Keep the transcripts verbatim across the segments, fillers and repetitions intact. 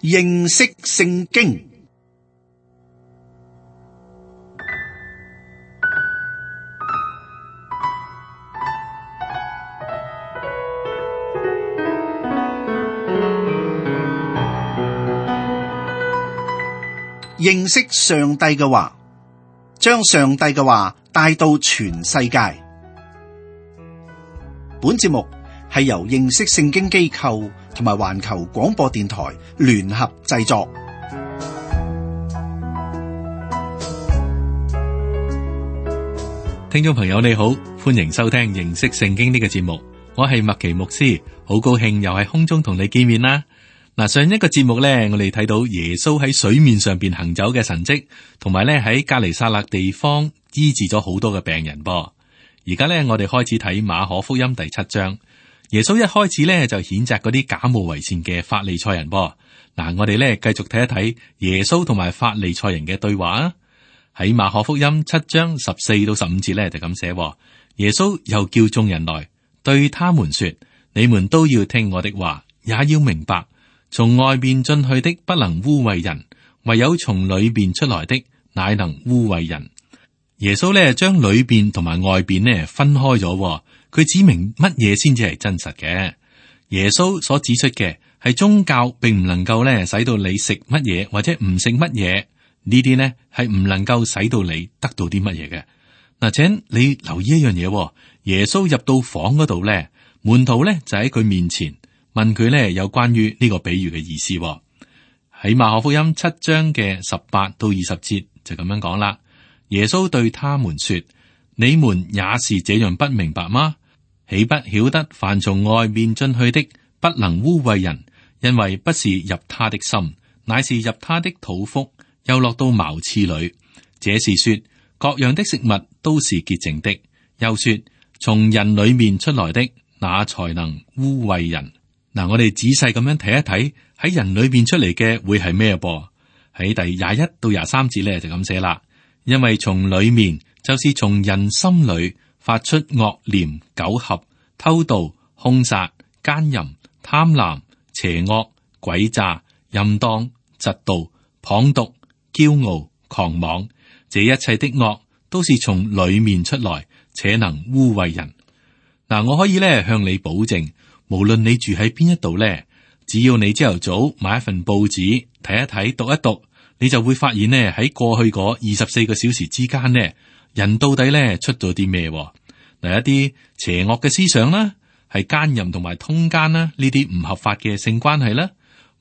認識聖經。認識上帝嘅話，將上帝嘅話帶到全世界。本節目係由認識聖經機構同埋環球廣播電台聯合製作。聽眾朋友你好，歡迎收聽認識聖經呢個節目，我係麥奇牧師，好高興又喺空中同你見面啦。嗱，上一個節目咧，我哋睇到耶穌喺水面上邊行走嘅神蹟，同埋咧喺革尼撒勒地方醫治咗好多嘅病人噃。而家咧，我哋開始睇馬可福音第七章。耶穌一開始咧就譴責嗰啲假冒為善嘅法利賽人噃。嗱，我哋咧繼續睇一睇耶穌同埋法利賽人嘅對話啊。喺馬可福音七章十四到十五節咧就咁寫，耶穌又叫眾人來，對他們說：你們都要聽我的話，也要明白。從外面進去的不能污穢人，唯有從裏面出來的乃能污穢人。耶穌咧將裏邊同埋外邊咧分開咗，佢指明乜嘢先至係真實嘅。耶穌所指出嘅係宗教，並唔能夠咧使到你食乜嘢或者唔食乜嘢，呢啲呢係唔能夠使到你得到啲乜嘢嘅。嗱，請你留意一樣嘢，耶穌入到房嗰度咧，門徒咧就喺佢面前。問佢咧有關於呢個比喻嘅意思，喺馬可福音七章嘅十八到二十節就咁樣講啦。耶穌對他們說：你們也是這樣不明白嗎？豈不曉得凡從外面進去的不能污穢人，因為不是入他的心，乃是入他的肚腹，又落到茅廁裏。這是說各樣的食物都是潔淨的。又說從人裏面出來的，那才能污穢人。嗱，我哋仔細咁樣睇一睇，喺人裏邊出嚟嘅會係咩噃？喺第廿一到廿三節咧就咁寫啦。因為從裏面就是從人心裏發出惡念、苟合、偷盜、兇殺、奸淫、貪婪、邪惡、詭詐、淫蕩、嫉妒、謗讟、驕傲、狂妄，這一切的惡都是從裏面出來，且能污穢人。嗱，我可以咧向你保證。無論你住喺邊一度咧，只要你朝頭早買一份報紙睇一睇、讀一讀，你就會發現呢，喺過去嗰二十四個小時之間呢，人到底咧出咗啲咩？嗱，一啲邪惡嘅思想啦，係奸淫同埋通姦啦，呢啲唔合法嘅性關係啦，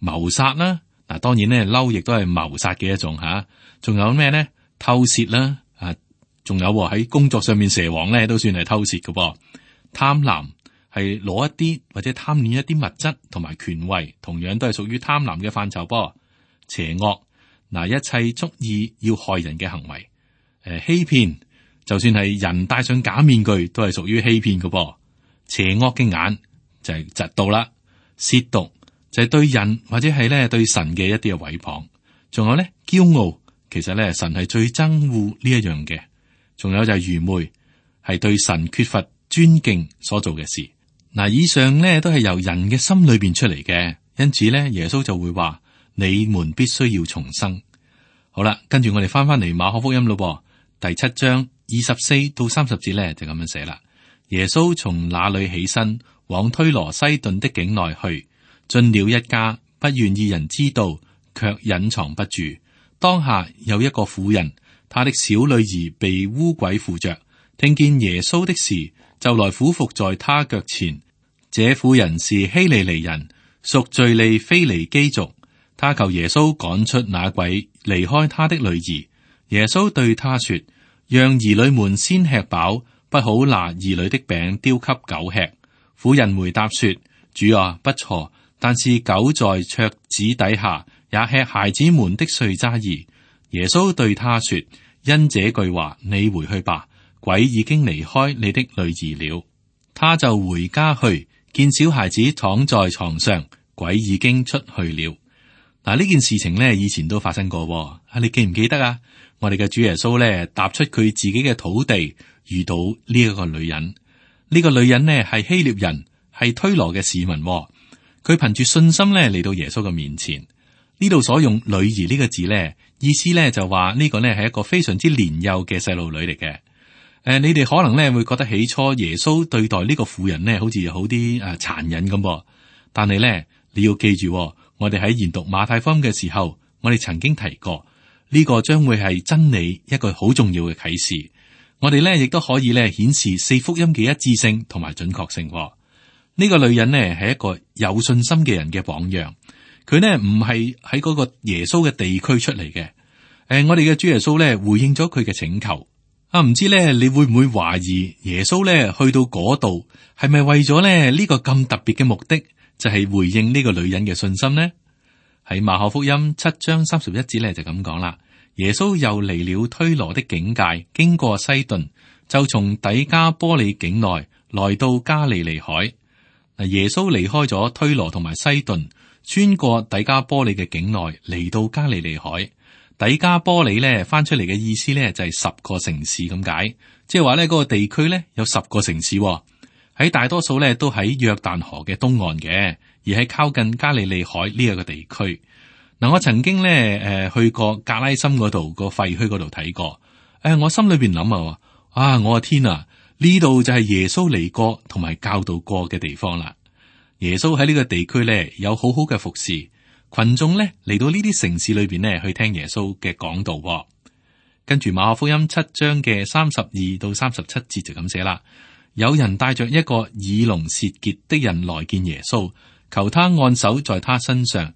謀殺啦，嗱，當然咧嬲亦都係謀殺嘅一種吓，仲有咩咧？偷竊啦，啊，仲有喺工作上面蛇王咧都算係偷竊嘅噃，貪婪。係攞一啲或者貪戀一啲物質同埋權位，同樣都係屬於貪婪嘅範疇噃。邪惡，嗱，一切蓄意要害人嘅行為，誒，欺騙，就算係人戴上假面具，都係屬於欺騙嘅噃。邪惡嘅眼就係嫉妒啦，褻瀆就係對人或者係咧對神嘅一啲嘅毀謗。仲有咧驕傲，其實咧神係最憎惡呢一樣嘅。仲有就係愚昧，係對神缺乏尊敬所做嘅事。嗱，以上咧都係由人嘅心裏邊出嚟嘅，因此咧耶穌就會話：你們必須要重生。好啦，跟住我哋翻翻嚟馬可福音咯，第七章二十四到三十節咧就咁樣寫啦。耶穌從那裏起身，往推羅西頓的境內去，進了一家，不願意人知道，卻隱藏不住。當下有一個婦人，她的小女兒被污鬼附着，聽見耶穌的事，就來俯伏在他腳前。這婦人是希利尼人，屬敘利非尼基族。他求耶穌趕出那鬼，離開他的女兒。耶穌對他說：讓兒女們先吃飽，不好拿兒女的餅丟給狗吃。婦人回答說：主啊，不錯，但是狗在桌子底下也吃孩子們的碎渣兒。耶穌對他說：因這句話，你回去吧。鬼已經離開你的女兒了。他就回家去，見小孩子躺在床上，鬼已經出去了。嗱，呢件事情呢，以前都發生過。啊，你記唔記得啊？我哋嘅主耶穌呢，踏出佢自己嘅土地，遇到呢一個女人。呢、呢個女人呢，係希臘人，係推羅嘅市民。佢憑住信心呢嚟到耶穌嘅面前。呢度所用女兒呢個字咧，意思咧就話呢個呢係一個非常之年幼嘅細路女嚟嘅。誒、呃，你哋可能咧會覺得起初耶穌對待呢個婦人呢好似好啲誒殘忍咁噃，但係咧你要記住，我哋喺研讀馬太福音嘅時候，我哋曾經提過呢、這個將會係真理一個好重要嘅啟示。我哋咧亦都可以咧顯示四福音嘅一致性同埋準確性。呢、這個女人呢係一個有信心嘅人嘅榜樣。佢呢唔係喺嗰個耶穌嘅地區出嚟嘅。誒、呃，我哋嘅主耶穌咧回應咗佢嘅請求。啊，唔知咧你會唔會懷疑耶穌咧去到嗰度係咪為咗咧呢、這個咁特別嘅目的，就係、是、回應呢個女人嘅信心呢？喺馬可福音七章三十一節咧就咁講啦。耶穌又離了推羅的境界，經過西頓，就從底加波利境內來到加利利海。嗱，耶穌離開咗推羅同埋西頓，穿過底加波利嘅境內嚟到加利利海。底加波利咧翻出嚟嘅意思咧就係十個城市咁解，即係話咧嗰個地區咧有十個城市，喺大多數咧都喺約旦河嘅東岸嘅，而係靠近加利利海呢一個地區。嗱，我曾經咧誒去過格拉森嗰度個廢墟嗰度睇過，誒我心裏邊諗啊，啊我嘅天啊，呢度就係耶穌嚟過同埋教導過嘅地方啦。耶穌喺呢個地區咧有好好嘅服侍。群眾咧嚟到呢啲城市裏邊呢，去聽耶穌嘅講道，哦。跟住馬可福音七章嘅三十二到三十七節就咁寫啦。有人帶着一個耳聾舌結的人來見耶穌，求他按手在他身上。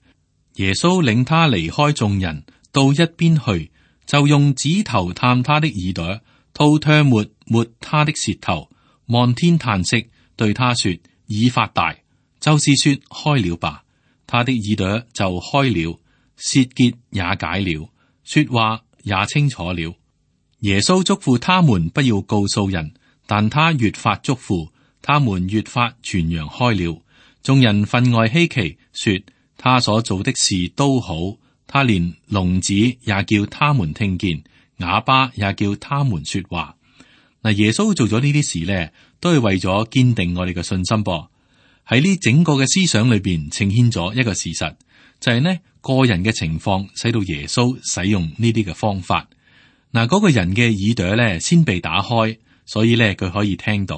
耶穌領他離開眾人，到一邊去，就用指頭探他的耳朵，吐唾沫抹他的舌頭，望天嘆息，對他說：已發大，就是說開了吧。他的耳朵就開了，舌結也解了，說話也清楚了。耶穌囑咐他們不要告訴人，但他越發囑咐，他們越發傳揚開了。眾人分外稀奇，說他所做的事都好，他連聾子也叫他們聽見，啞巴也叫他們說話。嗱，耶穌做咗呢啲事呢，都係為咗堅定我哋嘅信心噃。喺呢整個嘅思想裏邊呈現咗一個事實，就係呢個人嘅情況使到耶穌使用呢啲嘅方法。嗱，嗰個人嘅耳朵咧先被打開，所以咧佢可以聽到。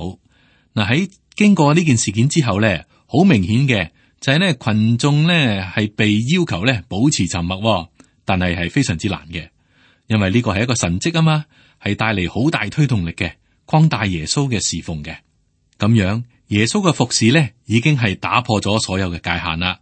嗱，喺經過呢件事件之後咧，好明顯嘅就係呢群眾咧係被要求咧保持沉默，但係係非常之難嘅，因為呢個係一個神蹟啊嘛，係帶嚟好大推動力嘅，擴大耶穌嘅侍奉嘅。咁樣耶穌嘅服侍咧，已經係打破咗所有嘅界限啦。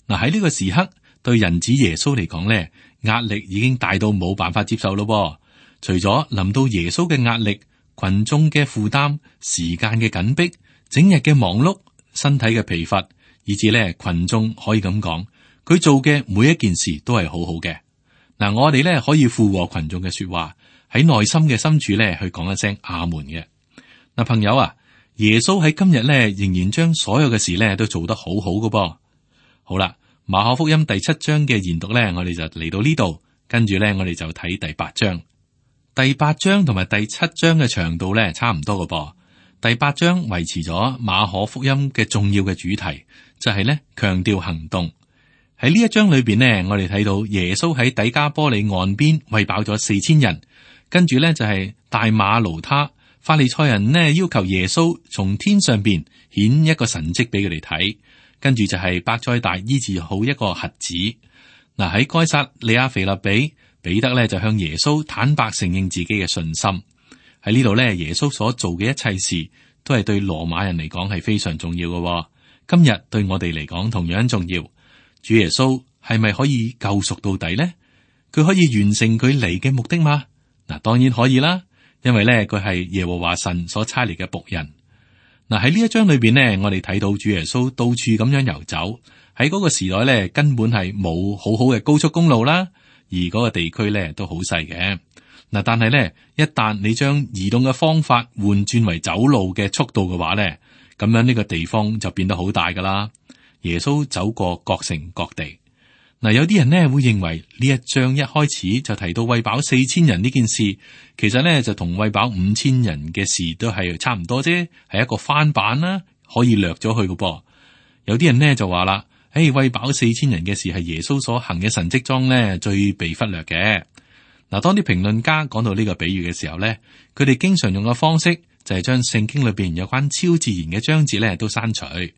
嗱，喺呢個時刻，對人子耶穌嚟講咧，壓力已經大到冇辦法接受咯。除咗臨到耶穌嘅壓力，群眾嘅負擔、時間嘅緊迫、整日嘅忙碌、身體嘅疲乏，以至咧群眾可以咁講，佢做嘅每一件事都係好好嘅。嗱，我哋咧可以附和群眾嘅說話，喺內心嘅深處咧去講一聲阿門嘅。嗱，朋友啊。耶穌喺今日咧，仍然將所有嘅事咧都做得好好嘅噃。好啦，馬可福音第七章嘅研讀咧，我哋就嚟到呢度，跟住咧我哋就睇第八章。第八章同埋第七章嘅長度咧差唔多嘅噃。第八章維持咗馬可福音嘅重要嘅主題，就係咧強調行動。喺呢一章裏邊呢，我哋睇到耶穌喺底加波利岸邊餵飽咗四千人，跟住咧就係大馬盧他。法利賽人呢要求耶穌從天上邊顯一個神蹟俾佢哋睇，跟住就係伯賽大醫治好一個瞎子。嗱，喺該撒利亞腓立比，彼得咧就向耶穌坦白承認自己嘅信心。喺呢度咧，耶穌所做嘅一切事都係對羅馬人嚟講係非常重要嘅。今日對我哋嚟講同樣重要。主耶穌係咪可以救贖到底呢？佢可以完成佢嚟嘅目的嗎？嗱，當然可以啦。因為咧，佢係耶和華神所差嚟嘅僕人。嗱，喺呢一章裏邊呢，我哋睇到主耶穌到處咁樣遊走。喺嗰個時代咧，根本係冇好好嘅高速公路啦，而嗰個地區咧都好細嘅。嗱，但係咧，一旦你將移動嘅方法換轉為走路嘅速度嘅話咧，咁樣呢個地方就變得好大噶啦。耶穌走過各城各地。嗱，有啲人呢會認為呢一章一開始就提到餵飽四千人呢件事，其實呢就同餵飽五千人嘅事都係差唔多啫，係一個翻版啦，可以略咗去嘅噃。有啲人呢就話啦，誒、誒，餵飽四千人嘅事係耶穌所行嘅神蹟中咧最被忽略嘅。嗱，當啲評論家講到呢個比喻嘅時候咧，佢哋經常用嘅方式就係將聖經裏邊有關超自然嘅章節咧都刪除。誒、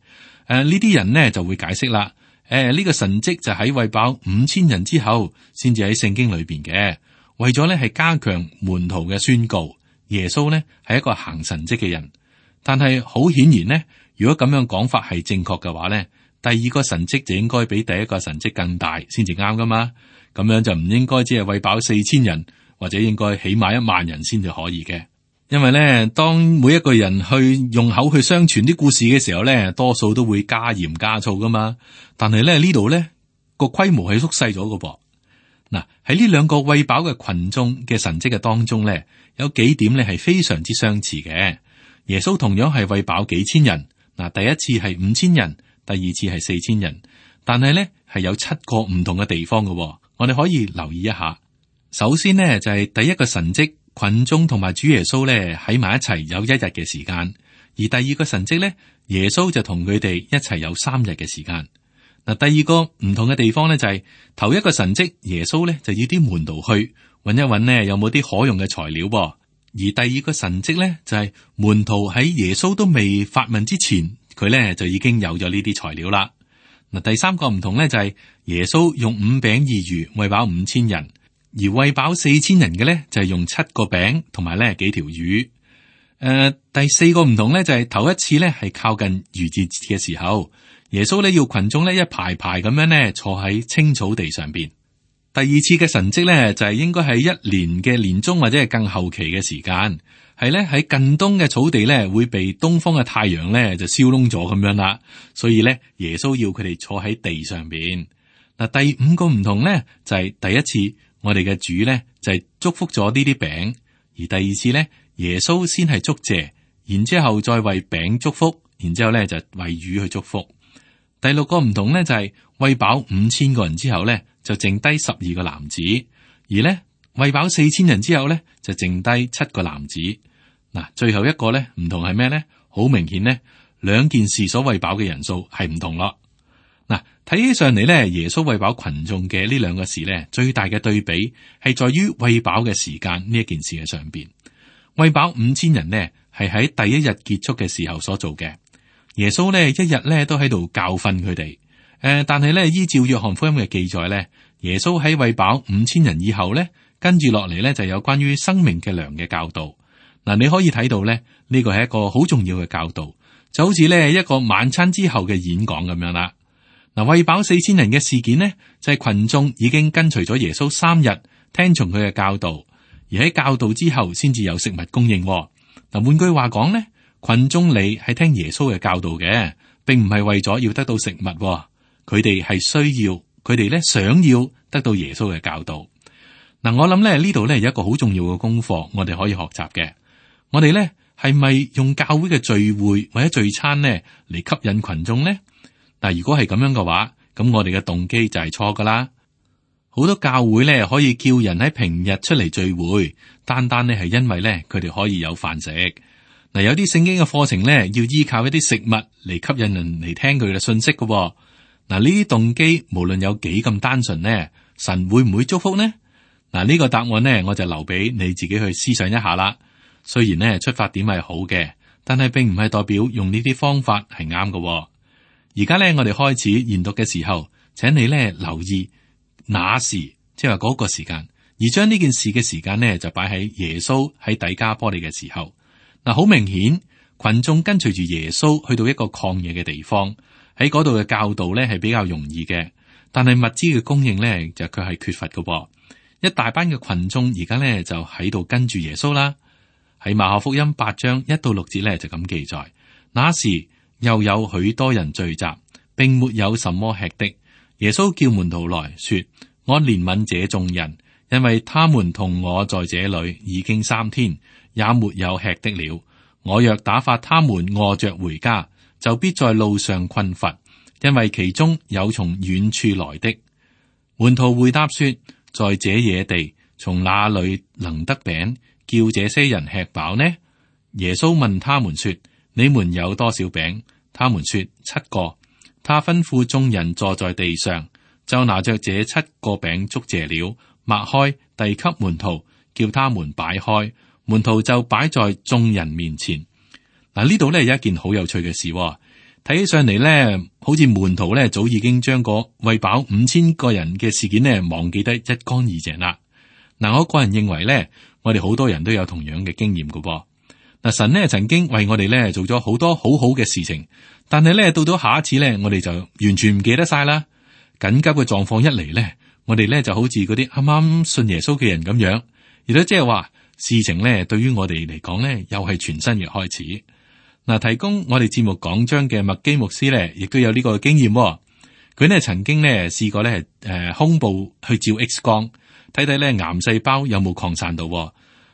呃，呢啲人呢就會解釋啦。誒、呃，呢、這個神蹟就喺餵飽五千人之後，先至喺聖經裏邊嘅，為咗咧係加強門徒嘅宣告。耶穌呢係一個行神蹟嘅人，但係好顯然呢，如果咁樣講法係正確嘅話呢，第二個神蹟就應該比第一個神蹟更大先至啱噶嘛。咁樣就唔應該只係餵飽四千人，或者應該起碼一萬人先至可以嘅。因為咧，當每一個人去用口去相傳啲故事嘅時候咧，多數都會加鹽加醋噶嘛。但係咧呢度咧個規模係縮細咗噶噃。嗱，喺呢兩個餵飽嘅群眾嘅神蹟嘅當中咧，有幾點咧係非常之相似嘅。耶穌同樣係餵飽幾千人。嗱，第一次係五千人，第二次係四千人，但係咧係有七個唔同嘅地方噶。我哋可以留意一下。首先呢，就係、是、第一個神蹟，群眾同埋主耶穌咧喺埋一齊有一日嘅時間；而第二個神蹟咧，耶穌就同佢哋一齊有三日嘅時間。嗱，第二個唔同嘅地方咧就係、是、頭一個神蹟，耶穌咧就要啲門徒去揾一揾呢有冇啲可用嘅材料噃；而第二個神蹟咧就係、是、門徒喺耶穌都未發問之前，佢咧就已經有咗呢啲材料啦。嗱，第三個唔同咧就係耶穌用五餅二魚餵飽五千人，而餵飽四千人嘅咧就係用七個餅同埋咧幾條魚。誒、呃，第四個唔同咧就係頭一次咧係靠近逾節嘅時候，耶穌咧要群眾咧一排排咁樣咧坐喺青草地上邊。第二次嘅神蹟咧就係應該係一年嘅年中或者係更後期嘅時間。係咧喺近東嘅草地咧會被東方嘅太陽咧就燒燶咗咁樣啦，所以咧耶穌要佢哋坐喺地上邊。嗱，第五個唔同咧就係、是、第一次我哋嘅主咧就係、是、祝福咗呢啲餅，而第二次咧耶穌先係祝謝，然之後再為餅祝福，然之後咧就為魚去祝福。第六個唔同咧就係餵飽五千個人之後咧就剩低十二個男子，而咧餵飽四千人之後咧就剩低七個男子。嗱，最後一個咧唔同係咩咧？好明顯咧，兩件事所餵飽嘅人數係唔同咯。嗱，睇起上嚟咧，耶穌餵飽群眾嘅呢兩個事咧，最大嘅對比係在於餵飽嘅時間呢一件事嘅上邊。餵飽五千人呢，係喺第一日結束嘅時候所做嘅。耶穌咧一日咧都喺度教訓佢哋。誒、呃，但係咧依照約翰福音嘅記載咧，耶穌喺餵飽五千人以後咧，跟住落嚟咧就有關於生命嘅糧嘅教導。嗱，你可以睇到咧，呢個係一個好重要嘅教導，就好似咧一個晚餐之後嘅演講咁樣啦。嗱，餵飽四千人嘅事件呢，就係群眾已經跟隨咗耶穌三日，聽從佢嘅教導，而喺教導之後先至有食物供應。嗱，換句話講呢，群眾嚟係聽耶穌嘅教導嘅，並唔係為咗要得到食物，佢哋係需要，佢哋咧想要得到耶穌嘅教導。嗱，我諗咧呢度咧有一個好重要嘅功課，我哋可以學習嘅。我哋咧係咪用教會嘅聚會或者聚餐呢嚟吸引群眾呢？但如果係咁樣嘅話，咁我哋嘅動機就係錯噶啦。好多教會咧可以叫人喺平日出嚟聚會，單單咧係因為咧佢哋可以有飯食。嗱，有啲聖經嘅課程咧要依靠一啲食物嚟吸引人嚟聽佢嘅信息嘅。嗱，呢啲動機無論有幾咁單純呢，神會唔會祝福呢？嗱，呢個答案呢，我就留俾你自己去思想一下啦。雖然呢出發點係好嘅，但係並唔係代表用呢啲方法係啱嘅。而家呢，我哋開始研讀嘅時候，請你呢留意那時，即係話嗰個時間，而將呢件事嘅時間呢就擺喺耶穌喺底加波利嘅時候。嗱，好明顯，群眾跟隨住耶穌去到一個曠野嘅地方，喺嗰度嘅教導呢係比較容易嘅，但係物資嘅供應呢就佢係缺乏嘅。一大班嘅群眾而家呢就喺度跟住耶穌啦。喺馬可福音八章一到六節咧就咁記載，那時又有許多人聚集，並沒有什麼吃的。耶穌叫門徒來說：我憐憫這眾人，因為他們同我在這裏已經三天，也沒有吃的了。我若打發他們餓着回家，就必在路上困乏，因為其中有從遠處來的。門徒回答說：在這野地，從哪裏能得餅叫這些人吃飽呢？耶穌問他們說：你們有多少餅？他們說七個。他吩咐眾人坐在地上，就拿着這七個餅祝謝了，擘開遞給門徒，叫他們擺開，門徒就擺在眾人面前。嗱，呢度咧有一件好有趣嘅事，睇起上嚟咧，好似門徒咧早已經將個餵飽五千個人嘅事件咧忘記得一乾二淨啦。嗱，我個人認為咧，我哋好多人都有同樣嘅經驗噶噃。嗱，神咧曾經為我哋咧做咗好多好好嘅事情，但係咧到咗下一次咧，我哋就完全唔記得晒啦。緊急嘅狀況一嚟咧，我哋咧就好似嗰啲啱啱信耶穌嘅人咁樣，亦都即係話事情咧對於我哋嚟講咧又係全新嘅開始。嗱，提供我哋節目講章嘅麥基牧師咧，亦都有呢個經驗。佢呢曾經咧試過咧誒胸部去照 X 光，睇睇咧癌細胞有冇擴散到。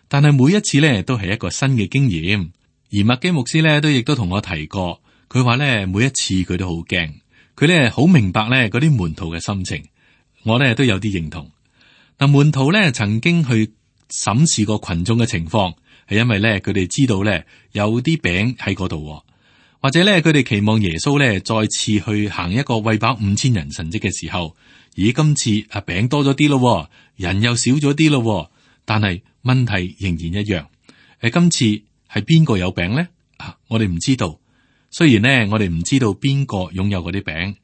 但係每一次咧都係一個新嘅經驗，而麥基牧師咧都亦都同我提過，佢話咧每一次佢都好驚，佢咧好明白咧嗰啲門徒嘅心情，我咧都有啲認同。嗱，門徒咧曾經去審視過群眾嘅情況，係因為咧佢哋知道咧有啲餅喺嗰度，或者咧佢哋期望耶穌咧再次去行一個餵飽五千人神蹟嘅時候，咦，今次啊餅多咗啲咯，人又少咗啲咯，但係問題仍然一樣。誒，今次係邊個有餅咧？啊，我哋唔知道。雖然咧我哋唔知道邊個擁有嗰啲餅，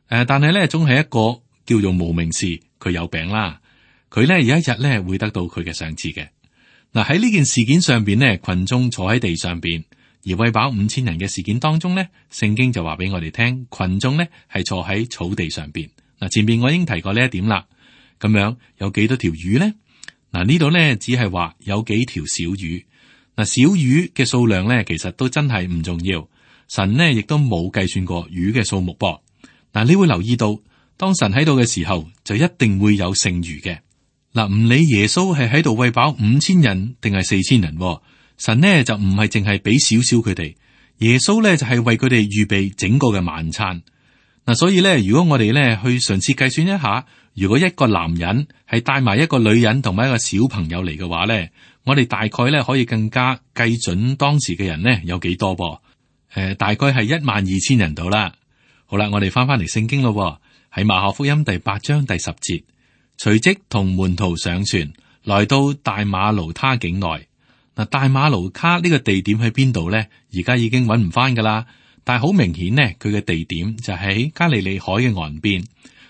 誒，但係咧總係一個叫做無名氏，佢有餅啦。佢咧有一日咧會得到佢嘅賞賜嘅。嗱，喺呢件事件上邊咧，群眾坐喺地上邊，而餵飽五千人嘅事件當中咧，聖經就話俾我哋聽，群眾咧係坐喺草地上邊。嗱，前面我已經提過呢一點啦。咁樣有幾多條魚咧？嗱，呢度咧只係話有幾條小魚。嗱，小魚嘅數量咧，其實都真係唔重要。神呢亦都冇計算過魚嘅數目噃。嗱，你會留意到，當神喺度嘅時候，就一定會有剩餘嘅。嗱，唔理耶穌係喺度餵飽五千人定係四千人，神呢就唔係淨係俾少少佢哋，耶穌咧就係為佢哋預備整個嘅晚餐。嗱，所以咧，如果我哋咧去嘗試計算一下，如果一個男人係帶埋一個女人同埋一個小朋友嚟嘅話咧，我哋大概咧可以更加計準當時嘅人呢有幾多噃？誒、呃，大概係一萬二千人度啦。好啦，我哋翻翻嚟聖經咯，喺馬可福音第八章第十節，隨即同門徒上船，來到大馬盧他境內。嗱，大馬盧卡呢個地點喺邊度咧？而家已經揾唔翻噶啦。但係好明顯呢，佢嘅地點就喺加利利海嘅岸邊，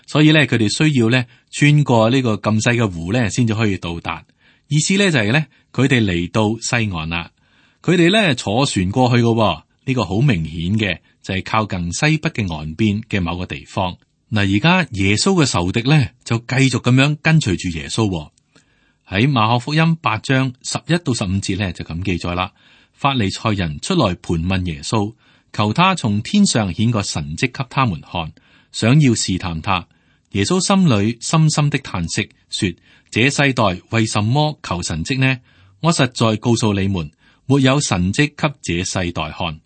所以咧佢哋需要咧穿過呢個咁細嘅湖咧，先至可以到達。意思咧就係咧，佢哋嚟到西岸啦，佢哋咧坐船過去嘅，呢個好明顯嘅就係靠近西北嘅岸邊嘅某個地方。嗱，而家耶穌嘅仇敵咧就繼續咁樣跟隨住耶穌。喺馬可福音八章十一到十五節咧就咁記載啦。法利賽人出來盤問耶穌，求他從天上顯個神蹟給他們看，想要試探他。耶穌心裏深深的嘆息，說：這世代為什麼求神蹟呢？我實在告訴你們，沒有神蹟給這世代看。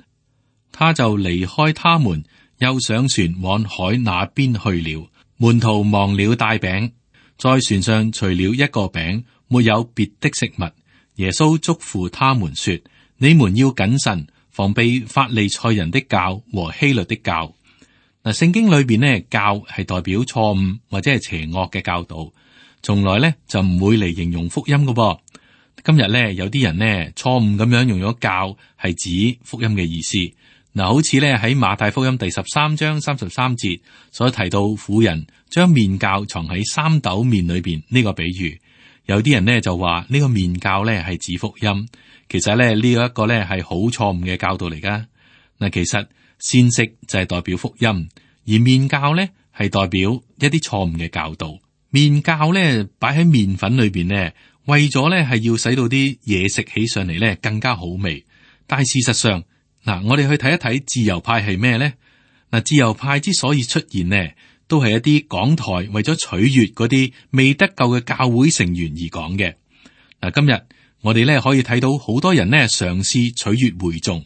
他就離開他們，又上船往海那邊去了。門徒忘了帶餅，在船上除了一個餅，沒有別的食物。耶穌囑咐他們說：你們要謹慎，防備法利賽人的教和希律的教。嗱，聖經裏邊呢，教係代表錯誤或者係邪惡嘅教導，從來咧就唔會嚟形容福音嘅噃。今日咧有啲人呢錯誤咁樣用咗教係指福音嘅意思。嗱，好似咧喺馬太福音第十三章三十三節所提到，婦人將麵酵藏喺三斗麵裏邊呢個比喻，有啲人呢就話呢個麵酵咧係指福音，其實咧呢一個咧係好錯誤嘅教導嚟噶。嗱，其實先食就係代表福音，而麵酵咧係代表一啲錯誤嘅教導。麵酵咧擺喺麵粉裏邊咧，為咗咧係要使到啲嘢食起上嚟咧更加好味，但係事實上。嗱，我哋去睇一睇自由派係咩咧？嗱，自由派之所以出現呢，都係一啲講台為咗取悅嗰啲未得救嘅教會成員而講嘅。嗱，今日我哋咧可以睇到好多人咧嘗試取悅會眾，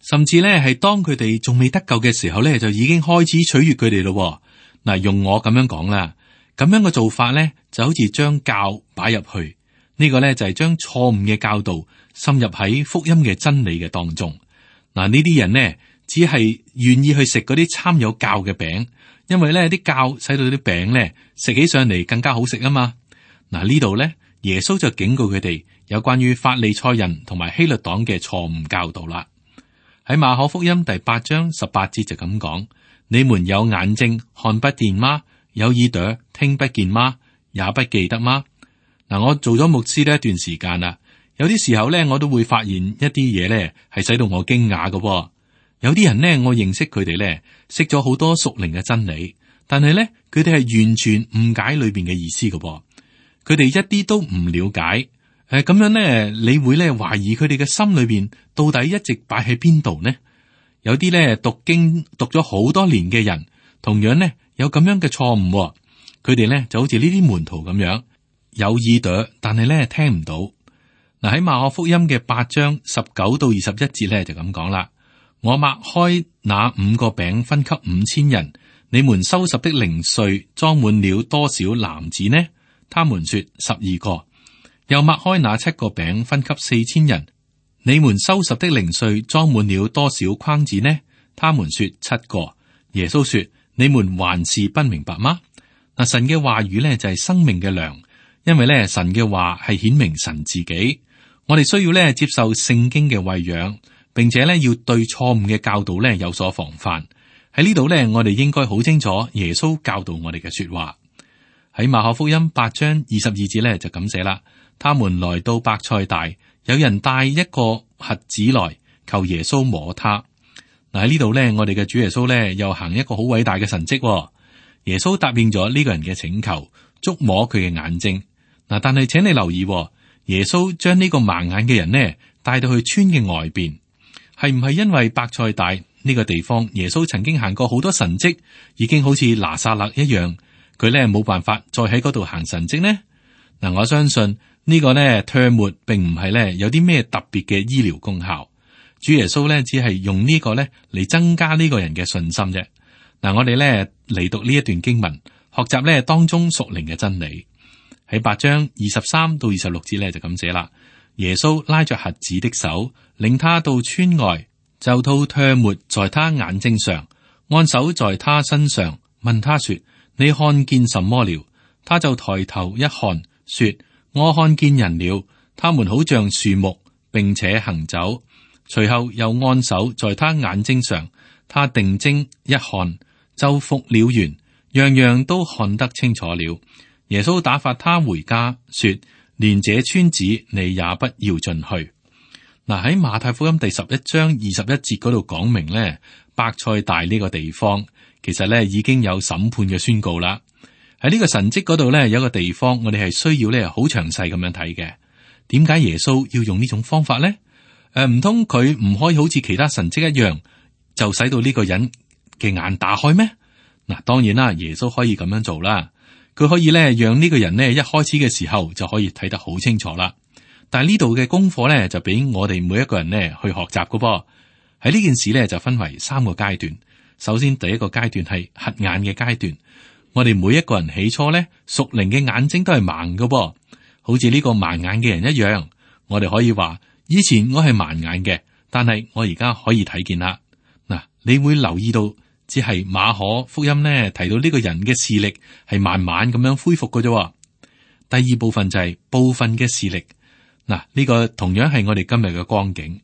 甚至咧係當佢哋仲未得救嘅時候咧，就已經開始取悅佢哋咯。嗱，用我咁樣講啦，咁樣嘅做法咧就好似將教擺入去，呢個咧就係將錯誤嘅教導滲入喺福音嘅真理嘅當中。嗱，呢啲人呢，只係願意去食嗰啲摻有酵嘅餅，因為咧啲酵使到啲餅咧食起上嚟更加好食啊嘛。嗱，呢度咧，耶穌就警告佢哋有關於法利賽人同埋希律黨嘅錯誤教導啦。喺馬可福音第八章十八節就咁講：你們有眼睛看不見嗎？有耳朵聽不見嗎？也不記得嗎？嗱，我做咗牧師呢一段時間啦，有啲時候咧，我都會發現一啲嘢咧係使到我驚訝嘅。有啲人咧，我認識佢哋咧，識咗好多屬靈嘅真理，但係咧，佢哋係完全誤解裏邊嘅意思嘅。佢哋一啲都唔了解。誒，咁樣咧，你會咧懷疑佢哋嘅心裏邊到底一直擺喺邊度呢？有啲咧讀經讀咗好多年嘅人，同樣咧有咁樣嘅錯誤。佢哋咧就好似呢啲門徒咁樣，有耳朵，但係咧聽唔到。嗱，喺馬可福音嘅八章十九到二十一節咧就咁講啦。我擘開那五個餅分給五千人，你們收拾的零碎裝滿了多少籃子呢？他們說十二個。又擘開那七個餅分給四千人，你們收拾的零碎裝滿了多少筐子呢？他們說七個。耶穌說：你們還是不明白嗎？嗱，神嘅話語咧就係生命嘅糧，因為咧神嘅話係顯明神自己。我哋需要咧接受聖經嘅餵養，並且咧要對錯誤嘅教導咧有所防範。喺呢度咧，我哋應該好清楚耶穌教導我哋嘅說話。喺馬可福音八章二十二節咧就咁寫啦。他們來到伯賽大，有人帶一個瞎子來求耶穌摸他。嗱，喺呢度咧，我哋嘅主耶穌咧又行一個好偉大嘅神蹟。耶穌答應咗呢個人嘅請求，觸摸佢嘅眼睛。嗱，但係請你留意，耶穌將呢個盲眼嘅人呢帶到去村嘅外邊，係唔係因為伯賽大呢個地方耶穌曾經行過好多神蹟，已經好似拿撒勒一樣，佢咧冇辦法再喺嗰度行神蹟呢？嗱，我相信。呢個呢，唾沫並唔係咧有啲咩特別嘅醫療功效。主耶穌咧只係用呢個咧嚟增加呢個人嘅信心啫。嗱，我哋咧嚟讀呢一段經文，學習咧當中屬靈嘅真理。喺八章二十三到二十六節咧就咁寫啦。耶穌拉着瞎子的手，領他到村外，就吐唾沫在他眼睛上，按手在他身上，問他說：你看見什麼了？他就抬頭一看，說：我看見人了，他們好像樹木，並且行走。隨後又按手在他眼睛上，他定睛一看，就復了原，樣樣都看得清楚了。耶穌打發他回家，說：連這村子你也不要進去。嗱，喺馬太福音第十一章二十一節嗰度講明咧，伯賽大呢個地方其實咧已經有審判嘅宣告啦。喺呢個神蹟嗰度咧，有一個地方我哋係需要咧好詳細咁樣睇嘅。點解耶穌要用呢種方法咧？誒、呃，唔通佢唔可以好似其他神蹟一樣，就使到呢個人嘅眼打開咩？嗱，當然啦，耶穌可以咁樣做啦。佢可以咧讓呢個人咧一開始嘅時候就可以睇得好清楚啦。但係呢度嘅功課咧就俾我哋每一個人咧去學習噶噃。喺呢件事咧就分為三個階段。首先第一個階段係瞎眼嘅階段。我哋每一個人起初咧，屬靈嘅眼睛都係盲嘅噃，好似呢個盲眼嘅人一樣。我哋可以話，以前我係盲眼嘅，但係我而家可以睇見啦。嗱，你會留意到，只係馬可福音咧提到呢個人嘅視力係慢慢咁樣恢復嘅啫。第二部分就係部分嘅視力。嗱，呢個同樣係我哋今日嘅光景。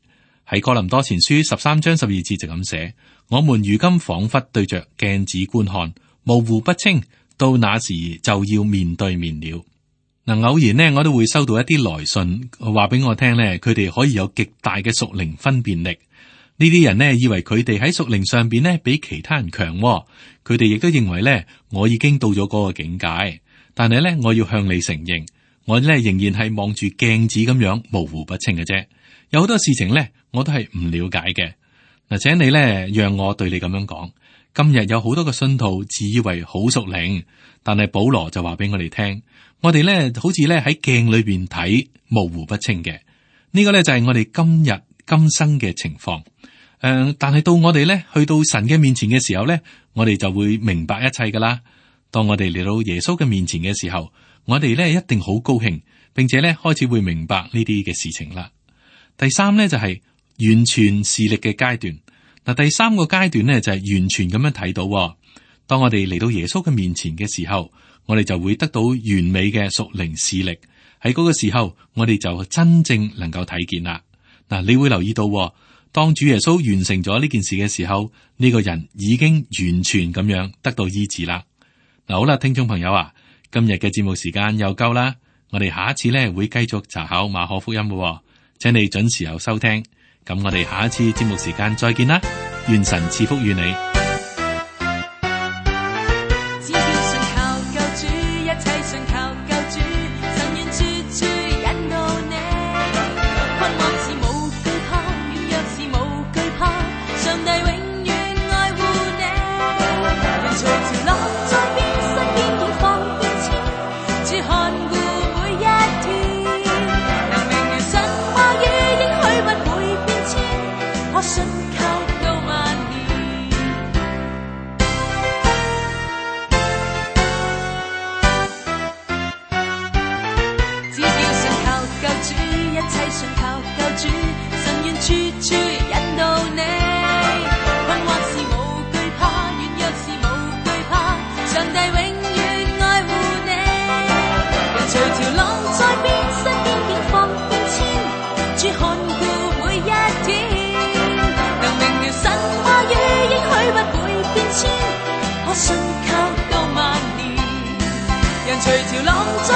喺哥林多前書十三章十二節就咁寫：我們如今仿佛對着鏡子觀看，模糊不清，到那時就要面對面了。嗱，偶然呢，我都會收到一啲來信，話俾我聽呢，佢哋可以有極大嘅屬靈分辨力。呢啲人呢，以為佢哋喺屬靈上邊呢比其他人強，佢哋亦都認為呢，我已經到咗嗰個境界。但係呢，我要向你承認，我呢仍然係望住鏡子咁樣模糊不清嘅啫。有好多事情呢，我都係唔了解嘅。嗱，請你呢，讓我對你咁樣講。今日有好多個信徒自以為好屬靈，但係保羅就話俾我哋聽，我哋咧好似咧喺鏡裏邊睇模糊不清嘅。呢、這個咧就係我哋今日今生嘅情況。誒、呃，但係到我哋咧去到神嘅面前嘅時候咧，我哋就會明白一切噶啦。當我哋嚟到耶穌嘅面前嘅時候，我哋咧一定好高興，並且咧開始會明白呢啲嘅事情啦。第三咧就係、是、完全視力嘅階段。嗱，第三個階段呢，就係完全咁樣睇到，當我哋嚟到耶穌嘅面前嘅時候，我哋就會得到完美嘅屬靈視力。喺嗰個時候，我哋就真正能夠睇見啦。嗱，你會留意到，當主耶穌完成咗呢件事嘅時候，呢個人已經完全咁樣得到醫治啦。嗱，好啦，聽眾朋友啊，今日嘅節目時間又夠啦，我哋下一次呢會繼續查考馬可福音嘅，請你準時候收聽。咁我哋下一次節目時間再見啦，願神賜福於你。只要信靠救主，一切信靠救主，神願處處引導你。困惑時無懼怕，軟弱時無懼怕，上帝永遠愛護你。人隨潮浪在變，身邊境況變遷，主看顧每一天，能明了神話語應許不會變遷，可信靠到萬年。只要信靠救主，一切信靠救主，神願處處引導你。困惑時無懼怕，軟弱時無懼怕，上帝永遠愛護你。人隨潮浪在變，身邊境況變遷，主看顧每一天，能明了神話語應許不會變遷，可信靠到萬年。人隨潮浪在